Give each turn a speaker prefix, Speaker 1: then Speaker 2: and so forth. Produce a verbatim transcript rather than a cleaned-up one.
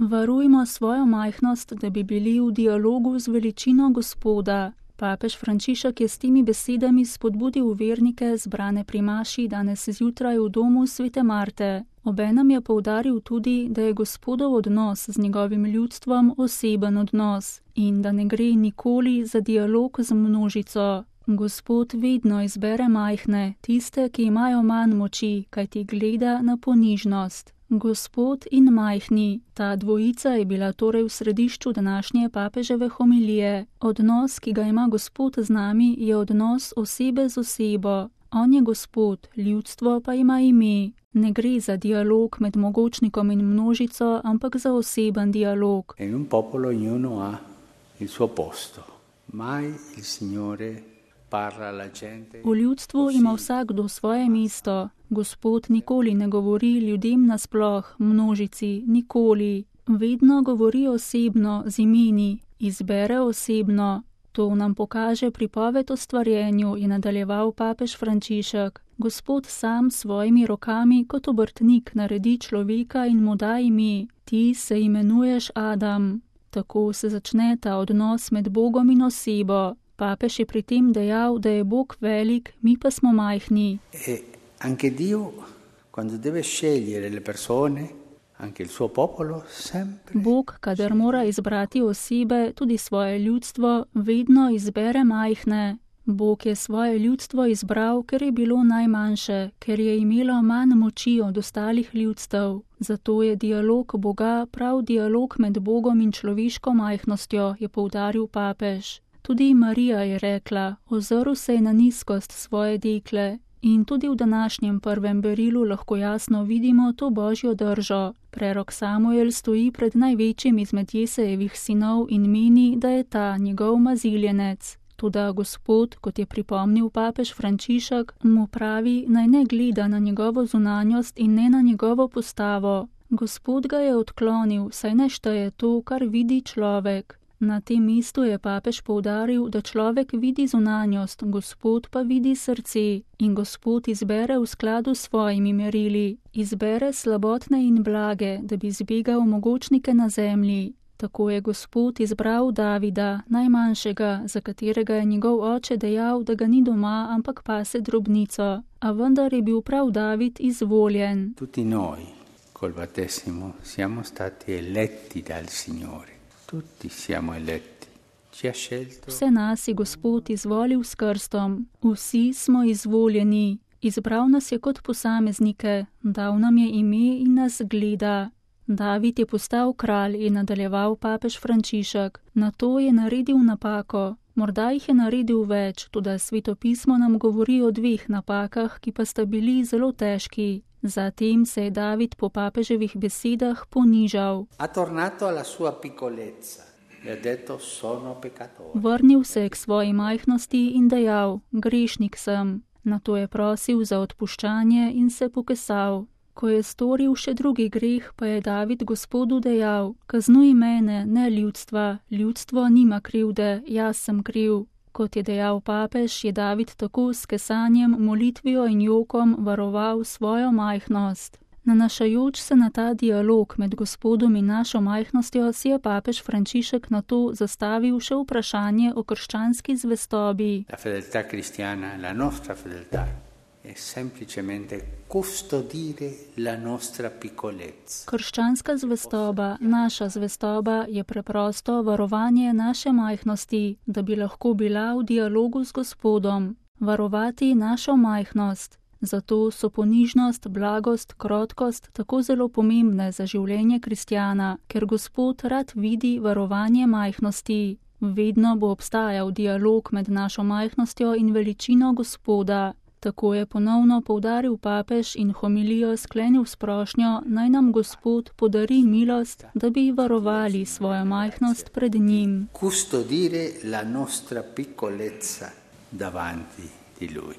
Speaker 1: Varujmo svojo majhnost, da bi bili v dialogu z veličino Gospoda. Papež Frančišek je s temi besedami spodbudil vernike zbrane pri maši danes zjutraj v domu svete Marte. Obenem je poudaril tudi, da je Gospodov odnos z njegovim ljudstvom oseben odnos in da ne gre nikoli za dialog z množico. Gospod vedno izbere majhne, tiste, ki imajo manj moči, kajti gleda na ponižnost. Gospod in majhni, ta dvojica je bila torej v središču današnje papeževe homilije. Odnos, ki ga ima Gospod z nami, je odnos osebe z osebo. On je Gospod, ljudstvo pa ima ime. Ne gre za dialog med mogočnikom in množico, ampak za oseben dialog.
Speaker 2: In un popolo ognuno ha il suo posto. Mai il Signore parla alla gente.
Speaker 1: V ljudstvu ima vsakdo svoje mesto. Gospod nikoli ne govori ljudem nasploh, množici, nikoli. Vedno govori osebno, z imeni, izbere osebno. To nam pokaže pripoved o stvarjenju, je nadaljeval papež Frančišek. Gospod sam s svojimi rokami kot obrtnik naredi človeka in mu da ime. Ti se imenuješ Adam. Tako se začne ta odnos med Bogom in osebo. Papež je pri tem dejal, da je Bog velik, mi pa smo majhni.
Speaker 2: E anche Dio, quando deve scegliere le persone, anche il suo popolo, sempre...
Speaker 1: Bog, kadar mora izbrati osebe, tudi svoje ljudstvo, vedno izbere majhne. Bog je svoje ljudstvo izbral, ker je bilo najmanjše, ker je imelo manj moči od ostalih ljudstev. Zato je dialog Boga prav dialog med Bogom in človeško majhnostjo, je poudaril papež. Tudi Marija je rekla, ozrl se je na nizkost svoje dekle. In tudi v današnjem prvem berilu lahko jasno vidimo to božjo držo. Prerok Samuel stoji pred največjim izmed Jesejevih sinov in meni, da je ta njegov maziljenec. Toda Gospod, kot je pripomnil papež Frančišek, mu pravi, naj ne gleda na njegovo zunanjost in ne na njegovo postavo. Gospod ga je odklonil, saj ne šteje to, kar vidi človek. Na tem mestu je papež poudaril, da človek vidi zunanjost, Gospod pa vidi srce in Gospod izbere v skladu s svojimi merili. Izbere slabotne in blage, da bi zbegal mogočnike na zemlji. Tako je Gospod izbral Davida, najmanjšega, za katerega je njegov oče dejal, da ga ni doma, ampak pase drobnico. A vendar je bil prav David izvoljen.
Speaker 2: Tutti noi, col battesimo, siamo stati eletti dal Signore. Tutti siamo eletti. Ci ha scelto.
Speaker 1: Vse nas je Gospod izvolil s krstom. Vsi smo izvoljeni. Izbral nas je kot posameznike, dal nam je ime in nas gleda. David je postal kralj, je nadaljeval papež Frančišek. Nato je naredil napako. Morda jih je naredil več, toda svetopismo nam govori o dveh napakah, ki pa sta bili zelo težki. Zatem se je David po papeževih besedah ponižal. Vrnil se je k svoji majhnosti in dejal, grešnik sem. Nato je prosil za odpuščanje in se pokesal. Ko je storil še drugi greh, pa je David Gospodu dejal, kaznuj mene, ne ljudstva, ljudstvo nima krivde, jaz sem kriv. Kot je dejal papež, je David tako s kesanjem, molitvijo in jokom varoval svojo majhnost. Nanašajoč se na ta dialog med Gospodom in našo majhnostjo, si je papež Frančišek nato zastavil še vprašanje o krščanski zvestobi.
Speaker 2: La fedeltà cristiana, la nostra fedeltà, è semplicemente custodire la nostra piccolezza.
Speaker 1: Krščanska zvestoba, naša zvestoba je preprosto varovanje naše majhnosti, da bi lahko bila v dialogu z Gospodom. Varovati našo majhnost. Zato so ponižnost, blagost, krotkost tako zelo pomembne za življenje kristjana, ker Gospod rad vidi varovanje majhnosti. Vedno bo obstajal dialog med našo majhnostjo in veličino Gospoda. Tako je ponovno poudaril papež in homilijo sklenil s prošnjo, naj nam Gospod podari milost, da bi varovali svojo majhnost pred njim.
Speaker 2: Custodire la nostra piccolezza davanti di Lui.